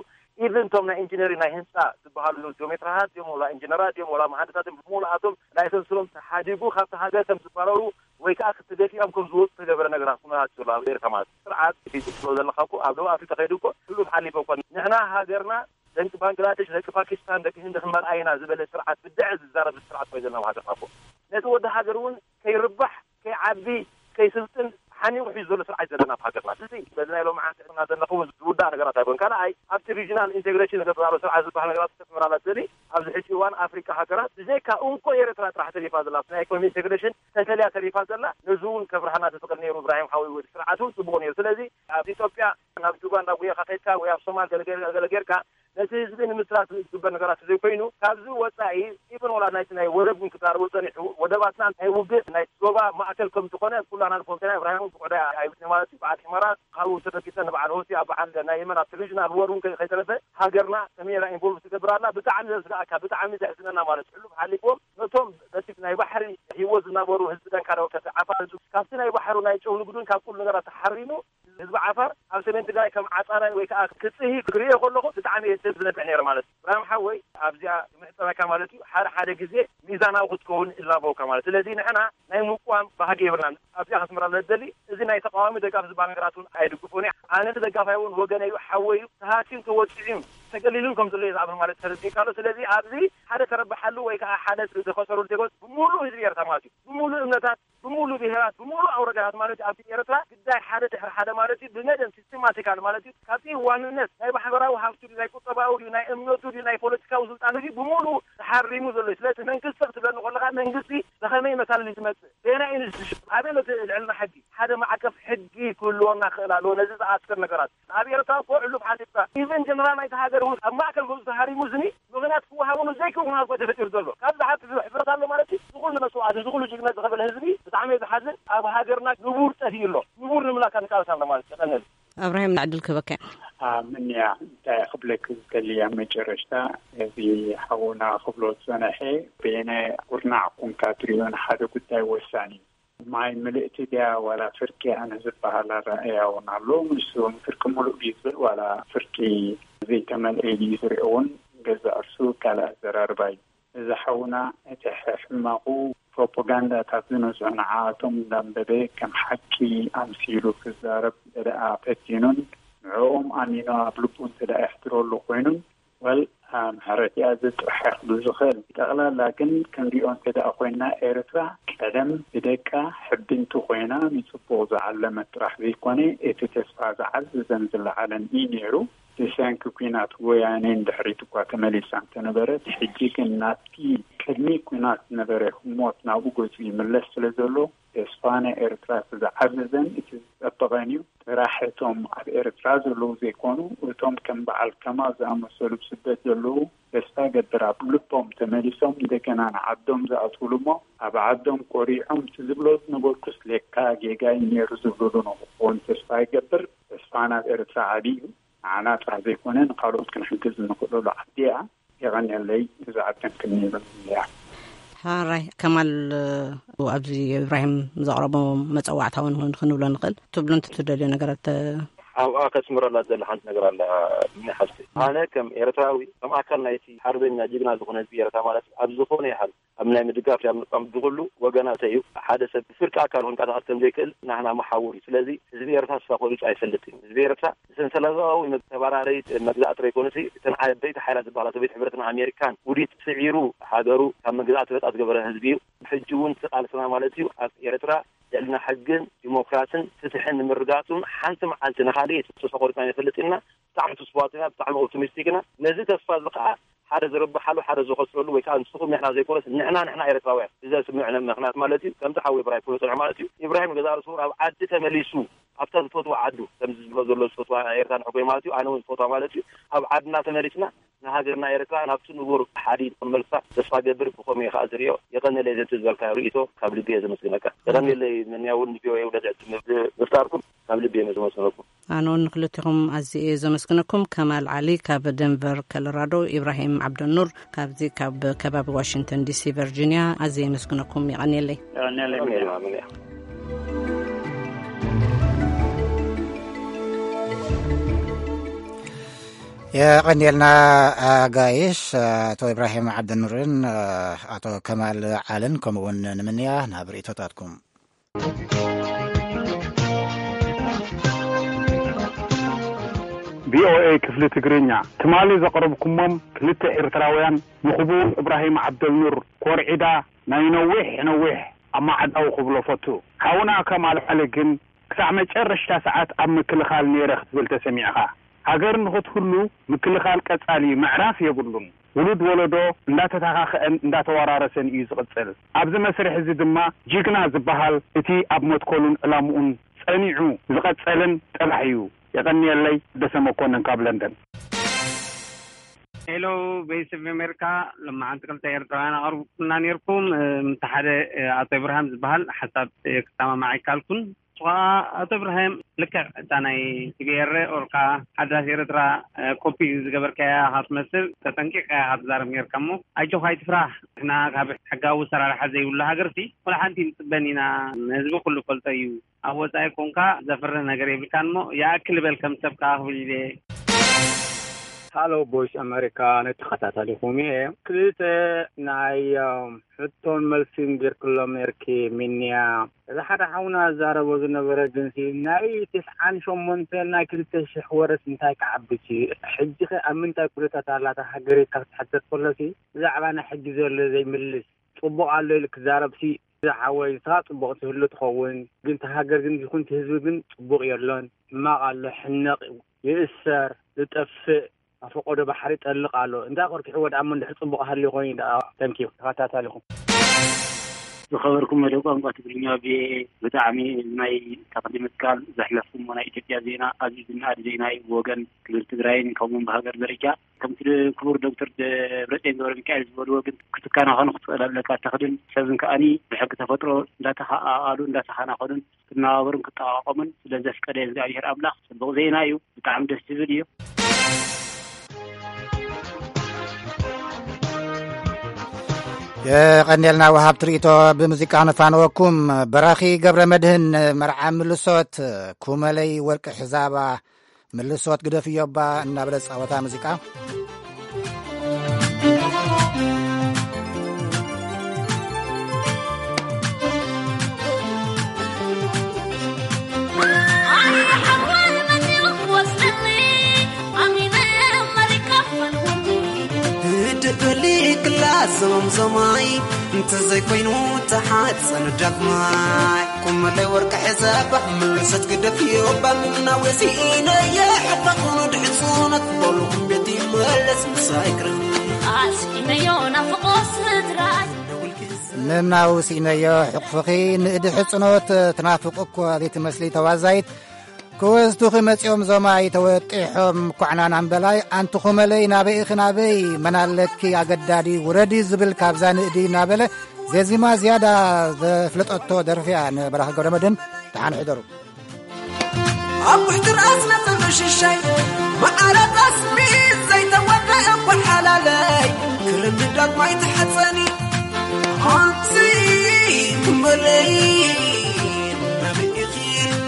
ኢቭን እቶም ናይ ኢንጂነሪ ናይ ህንፃ ዝበሃሉ ጂኦሜትራሃት እዮም ወላ ኢንጂነራት እዮም ወላ መሃንድሳት እዮም ብሙሉኣቶም ላይሰንስሎም ተሓዲጉ ካብቲ ሃገር ከም ዝባረሩ ወይ ከዓ ክትደፊኦም ከም ዝወፁ ተገበረ ነገራት ኩነታት ዘሎ ኣብ ኤርትራ ማለት ስርዓት ሒዙ ትብሎ ዘለካ እኮ ኣብ ደቡብ ኣፍሪካ ከይዱ እኮ ህሉፍ ሓሊፈ እኮ ንሕና ሃገርና ደቂ ባንግላደሽ ደቂ ፓኪስታን ደቂ ህንዲ ክንመርኣ ኢና ዝበለ ስርዓት ብድዐ ዝዛረብ ስርዓት ኮይኑ ዘለና ሃገርና እኮ ነቲ ወዲ ሃገር እውን ከይርባሕ ከይዓቢ ከይስልጥን ሓኒቑ ሒዙ ዘሎ ስርዓት ዘለና ኣብ ሃገርና እዚ በዚ ናይ ሎም ዓንተ ዘለኹ ዝውዳእ ነገራት ኣይኮን ካልኣይ ኣብቲ ሪጂናል ኢንቴግሬሽን ዘተባሮ ስርዓት ዝበሃል ነገራት ተስምራላት ዘሊ ኣብዚ ሕጂ እዋን ኣፍሪካ ሃገራት ብዘይካ እንኮ ኤርትራ ጥራሕ ተሪፋ ዘላ ናይ ኢኮኖሚ ኢንቴግሬሽን ተፈልያ ተሪፋ ዘላ ነዚ እውን ከብርሃና ዝፍቅድ ነይሩ እብራሂም ሓወይ ወዲ ስርዓት እውን ፅቡቅ ነይሩ ስለዚ ኣብ ኢትዮጵያ ናብ ጁባ ናብ ጉያ ካከድካ ወይ ኣብ ሶማል ገለገለ ጌርካ ነቲ ህዝቢ ንምስራት ዝግበር ነገራት ዘይኮይኑ ካብዚ ወፃኢ ኢብን ወላ ናይቲ ናይ ወደብ እውን ክዛረቡ ፀኒሑ ወደባትና ናይ ውግእ ናይ ዞባ ማእከል ከም ዝኾነ ኩላና ንፈልጦ ኢና ኢብራሂም ብቆዳ ኣይብት ማለት እዩ በዓል ሒመራ ካብኡ ተበጊሰ ንበዓል ሆሲ ኣብ በዓል ናይ የመን ኣብ ሪጅናል ወር እውን ከይተረፈ ሃገርና ሰሜራ ኢንቮልቭ ትገብር ኣላ ብጣዕሚ ዘስጋእካ ብጣዕሚ ዘሕዝነና ማለት ሕሉፍ ሓሊፎም ነቶም በቲ ናይ ባሕሪ ህይወት ዝነበሩ ህዝቢ ደንካራ ወከተ ዓፋር ካብቲ ናይ ባሕሩ ናይ ጨው ንግዱን ካብ ኩሉ ነገራት ተሓሪሙ ህዝቢ ዓፋር ኣብ ሰሜን ትግራይ ከም ዓፃራይ ወይ ከዓ ክፅሂ ክሪኦ ከለኹ ብጣዕሚ እየ ሰብ ዝነብዕ ነይረ ማለት እዩ ብራም ሓወይ ኣብዚኣ ምሕፀበካ ማለት እዩ ሓደ ሓደ ግዜ ሚዛናዊ ክትከውን እላበወካ ማለት ስለዚ ንሕና ናይ ምቋም ባህጊ የብርናን ኣብዚኣ ከስምራ ለደሊ እዚ ናይ ተቃዋሚ ደጋፍ ዝበሃል ነገራት እውን ኣይድግፎን እየ ኣነቲ ደጋፋይ እውን ወገነ እዩ ሓወይ እዩ ተሃስዩ ተወፂዑ እዩ ተገሊሉን ከም ዘሎ እየ ዝኣምን ማለት ተረዲእካ ኣሎ ስለዚ ኣብዚ ሓደ ተረብሓሉ ወይ ከዓ ሓደ ዝኸሰሩ ዜጎት ብሙሉእ ህዝቢ ኤርትራ ማለት እዩ ብሙሉእ እምነታት ብሙሉ ብሄራት ብሙሉ ኣውረዳታት ማለት ኣብቲ ኤርትራ ግዳይ ሓደ ድሕሪ ሓደ ማለት እዩ ብመደብ ሲስተማቲካል ማለት እዩ ካብቲ ዋንነት ናይ ማሕበራዊ ሃብቱ ድዩ ናይ ቁጠባዊ ድዩ ናይ እምነቱ ድዩ ናይ ፖለቲካዊ ስልጣኑ ድዩ ብሙሉ ተሓሪሙ ዘሎ እዩ ስለዚ መንግስቲ ክትብለኒ ከለካ መንግስቲ ብከመይ መታለሊ ዝመፅእ በየናይ ኢንስቲቱሽን ኣበይ ነቲ ልዕልና ሕጊ ሓደ ማዕቀፍ ሕጊ ክህልወና ክእል ኣለዎ ነዚ ዝኣስር ነገራት ኣብ ኤርትራ እኮ ዕሉፍ ሓሲብካ ኢቨን ጀነራል ናይቲ ሃገር እውን ኣብ ማእከል ገዙ ተሃሪሙ ዝኒ ምኽንያት ክወሃበሉ ዘይክእል ኩነታት እኮ ተፈጢሩ ዘሎ ካብ ዝሓት ሕፍረት ኣሎ ማለት እዩ ዝኩሉ መስዋዕት ዝኩሉ ጅግነት ዝኸፈለ ህዝቢ ብጣዕሚ ዝሓዝን ኣብ ሃገርና ንቡር ጠፊኡ ኣሎ ንቡር ንምላካ ንቃለስ ኣሎ ማለት ይቀነል ኣብራሂም ዕድል ክህበካ ምንያ እንታይ ክብለክ ዝደሊ ኣብ መጨረሽታ እዚ ሓውና ክብሎ ዝፀነሐ በየነ ኩርናዕ ኮንካ ትሪኦ ንሓደ ጉዳይ ወሳኒ እዩ ማይ ምልእቲ ድያ ዋላ ፍርቂ ኣነ ዝበሃል ኣረኣእያ እውን ኣሎ ንሱ ፍርቂ ሙሉእ ድዩ ዝብል ዋላ ፍርቂ ዘይተመልአ ኢሉ እዩ ዝሪኦ እውን ገዛእ ርሱ ካልእ ኣዘራርባ እዩ እዚ ሓውና እቲ ሕማቑ ፕሮፓጋንዳታት ዝነዝዑ ንዓኣቶም እንዳንበበ ከም ሓቂ ኣምሲሉ ክዛረብ እንተደኣ ፈቲኑን ንዕኦም ኣሚኑ ኣብ ልቡ እንተደኣ የሕድረሉ ኮይኑን ወል ምሕረት እያ እዚ ጥራሕ ክብል ዝኽእል። ብጠቕላላ ግን ክንሪኦ እንተደኣ ኮይንና ኤርትራ ቀደም ብደቃ ሕብንቲ ኮይና ንፅቡቕ ዝዓለመት ጥራሕ ዘይኮነ እቲ ተስፋ ዝዓዘዘን ዝለዓለን እዩ ነይሩ። ብሰንኪ ኲናት ወያነ ንድሕሪት እኳ ተመሊሳ እንተነበረት ሕጂ ግን ናብቲ ቅድሚ ኲናት ዝነበረ ህሞት ናብኡ ገፁ ይምለስ ስለዘሎ ተስፋ ናይ ኤርትራ እቲ ዝዓዘዘን እቲ ዝጸበቐን እዩ። ጥራሕ እቶም ኣብ ኤርትራ ዘለዉ ዘይኮኑ፣ እቶም ከም በዓል ከማል ዝኣመሰሉ ብስደት ዘለዉ ተስፋ እገብር ኣብ ልቦም ተመሊሶም እንደገና ንዓዶም ዝኣትዉሉ እሞ ኣብ ዓዶም ኮሪዖም እቲ ዝብሎ ዝነበርኩስ ሌካ ጌጋ እዩ ነይሩ ዝብሉሉ ንኽኾን ተስፋ ይገብር። ተስፋ ናብ ኤርትራ ዓቢ እዩ። ንዓና ጥራሕ ዘይኮነ ንካልኦት ክንሕግዝ እንኽእለሉ ዓዲ እያ። የቐንየለይ። እዛ ዓደን ክንይበል እያ። ሓራይ ከማል ኣብዚ ኢብራሂም ዘቕረቦ መፀዋዕታ እውን ክንብሎ ንኽእል ትብሉ እንተ ትደልዩ ነገራት ኣብኣ ከስምረላ ዝደሊ ሓንቲ ነገር ኣላ። ምን ሓፍቲ ኣነ ከም ኤርትራዊ፣ ከም ኣካል ናይቲ ሓርበኛ ጅግና ዝኾነ ህዝቢ ኤርትራ ማለት እዩ፣ ኣብ ዝኾነ ይሓል ኣብ ናይ ምድጋፍ ያ ምቃም ብኩሉ ወገናተ እዩ። ሓደ ሰብ ብፍርቂ ኣካል ክንቀሳቀስ ከም ዘይክእል ናህና መሓውር እዩ። ስለዚ ህዝቢ ኤርትራ ተስፋ ቆሪጹ ኣይፈልጥን። ህዝቢ ኤርትራ ብሰንሰለታዊ መግ-፣ ተባራረይ መግዛእ ጥራይ ኮነሲ እተን ዓበይቲ ሓይላት ዝበሃላ ሶቪየት ሕብረትን ኣሜሪካን ውዲት ስዒሩ ሃገሩ ካብ መግዛእቲ ነጻ ዝገበረ ህዝቢ እዩ። ብሕጂ እውን እቲ ቃልስና ማለት እዩ ኣብ ኤርትራ ልዕልና ሕግን ዲሞክራስን ፍትሕን ንምርጋጹን ሓንቲ መዓልቲ ንኻልእ ተስፋ ቆሪጽና ንፈልጥ ኢና። ብጣዕሚ ተስፋዋት ኢና፣ ብጣዕሚ ኦፕቲሚስቲክ ኢና። ነዚ ተስፋ እዚ ከዓ ሓደ ዝርብሓሉ ሓደ ዝኸስረሉ ወይ ከዓ ንስኹም ንሕና ዘይኮነስ ንሕና ንሕና ኤርትራውያን ብዘስምዕ ምኽንያት ማለት እዩ። ከምቲ ሓወይ ኢብራሂም ክብሎ ዝጸንሐ ማለት እዩ። ኢብራሂም ገዛ ርእሱ ኣብ ዓዲ ተመሊሱ ኣብታ ዝፈትዋ ዓዱ ከምዚ ዝብሎ ዘሎ ዝፈትዋ ኤርትራ ንሕጎይ ማለት እዩ። ኣነ እውን ዝፈትዋ ማለት እዩ። ኣብ ዓድና ተመሊስና ንሃገርና ኤርትራ ናብቲ ንቡር ሓዲድ ክመልሳ ተስፋ ገብር። ብኸመይ ከዓ ዝሪኦ የቐነለይ ዘቲ ዝበልካ ርእይቶ ካብ ልቢ እየ ዘመስግነካ። የቐነለይ መንያ እውን ንቪኦኤ ውደት ዕድል ምፍጣርኩም ካብ ልቢ እየ ዘመስግነኩም። ኣነ እውን ንክልቲኹም ኣዝየ እየ ዘመስግነኩም። ከማል ዓሊ ካብ ደንቨር ኮሎራዶ፣ ኢብራሂም ዓብደኑር ካብዚ ካብ ከባቢ ዋሽንግተን ዲሲ ቨርጂኒያ ኣዝየ የመስግነኩም። የቐንየለይ። የቐንየልና። ኣጋይሽ ኣቶ ኢብራሂም ዓብደኑርን ኣቶ ከማል ዓልን ከምኡውን ንምንያ ናብ ርእይቶታትኩም። ቪኦኤ ክፍሊ ትግርኛ ትማሊ ዘቕረብኩሞም ክልተ ኤርትራውያን ንኽቡር እብራሂም ዓብደልኑር ኮርዒዳ ናይ ነዊሕ ነዊሕ ኣማዕዳዊ ክብሎ ፈቱ። ሓውና ከማል ዓሊ ግን ክሳዕ መጨረሽታ ሰዓት ኣብ ምክልኻል ነይረ ክትብል ተሰሚዕኻ። ሃገር ንኽትህሉ ምክልኻል ቀጻሊ ምዕራፍ የብሉን። ውሉድ ወለዶ እንዳተተኻኸአን እንዳተወራረሰን እዩ ዝቕጽል። ኣብዚ መስርሕ እዚ ድማ ጅግና ዝበሃል እቲ ኣብ መትከሉን ዕላምኡን ጸኒዑ ዝቐጸለን ጥራሕ እዩ። የቐንየለይ። ደሰ መኮንን ካብ ለንደን። ሄሎ፣ ቬይስ ኦፍ ኣሜሪካ። ሎማዓንቲ ክልተ ኤርትራውያን ኣቕርብኩምና ነይርኩም። እም፣ እቲ ሓደ፣ እ፣ ኣቶ ኢብርሃም ዝበሃል ሓሳብ፣ እ፣ ክሰማማዕ ኣይከኣልኩን። ንሱ ኸዓ፣ ኣቶ ኢብራሂም፣ ልክዕ እታ ናይ ቲ ቢ ኤር ኦር ከዓ ሓዳስ ኤርትራ፣ እ፣ ኮፒ ዝገበርካያ ኢኻ ትመስል፣ ተጠንቂቕካ ኢኻ ትዛረብ ነይርካ እሞ፣ ኣጆኻ ኣይትፍራህ። ንሕና ካብ ሕጋዊ ኣሰራርሓ ዘይብሉ ሃገርሲ፣ ወላ ሓንቲ ንጽበን ኢና። ንህዝቢ ኩሉ ፈልጦ እዩ። ኣብ ወጻኢ ኮንካ ዘፍርህ ነገር የብልካን እሞ፣ ይኣክል በል ከም ሰብ ከኣ ክብል ኢለ። ሃሎ ቮይስ ኣሜሪካ፣ ነተኸታታሊኹም እየ። ክልተ ናይ፣ እም፣ ሕቶን መልስን ጌርክሎም ነርኪ፣ ሚንያ። እዚ ሓደ ሓውና ዝዛረቦ ዝነበረ ግንሲ፣ ናይ ተስዓን ሸሞንተን ናይ ክልተ ሽሕ ወረስ እንታይ ክዓቢ ሲ? ሕጂኸ ኣብ ምንታይ ኩነታት ኣላ እታ ሃገር ኢልካ ክትሓተት ከሎሲ፣ ብዛዕባ ናይ ሕጂ ዘሎ ዘይምልስ፣ ጽቡቕ ኣሎ ኢሉ ክዛረብሲ፣ ዝሓወይ፣ ንስኻ ጽቡቕ ትህሉ ትኸውን፣ ግን እቲ ሃገር ግን ይኹን እቲ ህዝቢ ግን ጽቡቕ የሎን። ሕማቕ ኣሎ፣ ሕነቕ፣ ይእሰር፣ ዝጠፍእ፣ ኣብ ፈቆዶ ባሕሪ ይጠልቕ ኣሎ። እንታይ ቆርኪሕዎ ደኣ እሞ እንድሕር ጽቡቕ ሃልዩ ኮይኑ ደኣ። ተንኪዩ፣ ተኸታታሊኹም። ዝኸበርኩም መደብ ቋንቋ ትግርኛ ቪኦኤ፣ ብጣዕሚ ናይ ተኽሊ ምትካል ዘሕለፍኩሞ ናይ ኢትዮጵያ ዜና ኣዝዩ ዝነኣድ ዜና እዩ። ብወገን ክልል ትግራይን ከምኡውን ብሃገር ደረጃ ከምቲ ክቡር ዶክተር ደብረጽዮን ገብረ ሚካኤል ዝበልዎ ግን ክትከናኸኑ ክትኽእል ኣለካ። ተኽልን ሰብን ከኣኒ ብሕጊ ተፈጥሮ እንዳተኸኣኣሉ እንዳተኸናኸኑን ክነባበሩን ክጠቓቐሙን ስለ ዘፍቀደ እግዚኣብሔር ኣምላኽ ጽቡቕ ዜና እዩ። ብጣዕሚ ደስ ዝብል እዩ። የቐንየልና ወሃብቲ ርእይቶ። ብሙዚቃ ነፋንወኩም። በራኺ ገብረ መድህን መርዓ ምልሶት ኩመለይ ወርቂ ሕዛባ ምልሶት ግደፍዮ እባ እናበለ ዝጻወታ ሙዚቃ። ደበሊ ክላስ ዞምዞማይ እንተዘይኮይኑ ተሓፀን ዳግማይ። ቁመለይ ወርቂ ሕዛባ ምልሰት ግደፍዮ እባ ምምናው የሲኢነየ ሕባኹኑ ድሕፁነት በሉ ቤት ይመለስ ምሳይ ክረም። ኣስኢነዮ ናፍቆ ስድራይ። ምምናው ስኢነዮ ሕቕፍኺ ንእዲ ሕፅኖት ትናፍቕ እኮ ዘይትመስሊ ተዋዛይት። ክወስዱኺ መጺኦም ዞማይ ተወጢሖም ኳዕናን ኣምበላይ ኣንቲ ኹመለይ ናበይ ኢኺ ናበይ መን ኣለኪ ኣገዳዲ ውረዲ ዝብል ካብዛ ንእዲ እናበለ ዜዚማ ዝያዳ ዘፍለጠቶ ደርፊ እያ። ንበራኺ ገብረመድህን ደሓን ሕደሩ። ኣብ ውሕቲ ርኣስና ዘሎ ሽሻይ መዓረ ጠስሚ ዘይተወደአ ጓሓላለይ ክርምዳት ማይ ተሓጸኒ ኣንቲ ኹመለይ ናበይ ኢኺ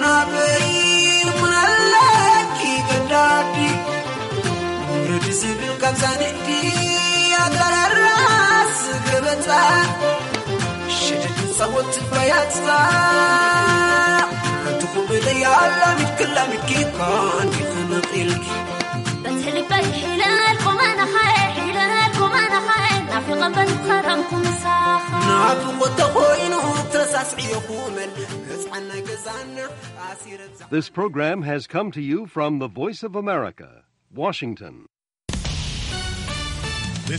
ናበይ መን ኣለ ዛንዲ ኣጋራራስ ገበታ ሽድድ ጸወት በያታ ትኹብለይ ኣላሚድ ክላሚድ ኪኮን ይኽንቕ ኢልኪ በቲ ልበይ ሒለልኩም ኣነኻየ ሒለልኩም ኣነኻየ ናፊቐ በቲ ከረምኩ ምሳኻ ናፍቆ ተኾይኑ ተሳስዕዮ ኩመል ህፃን ናይ ገዛና ኣሲረ This program has come to you from the Voice of America, Washington.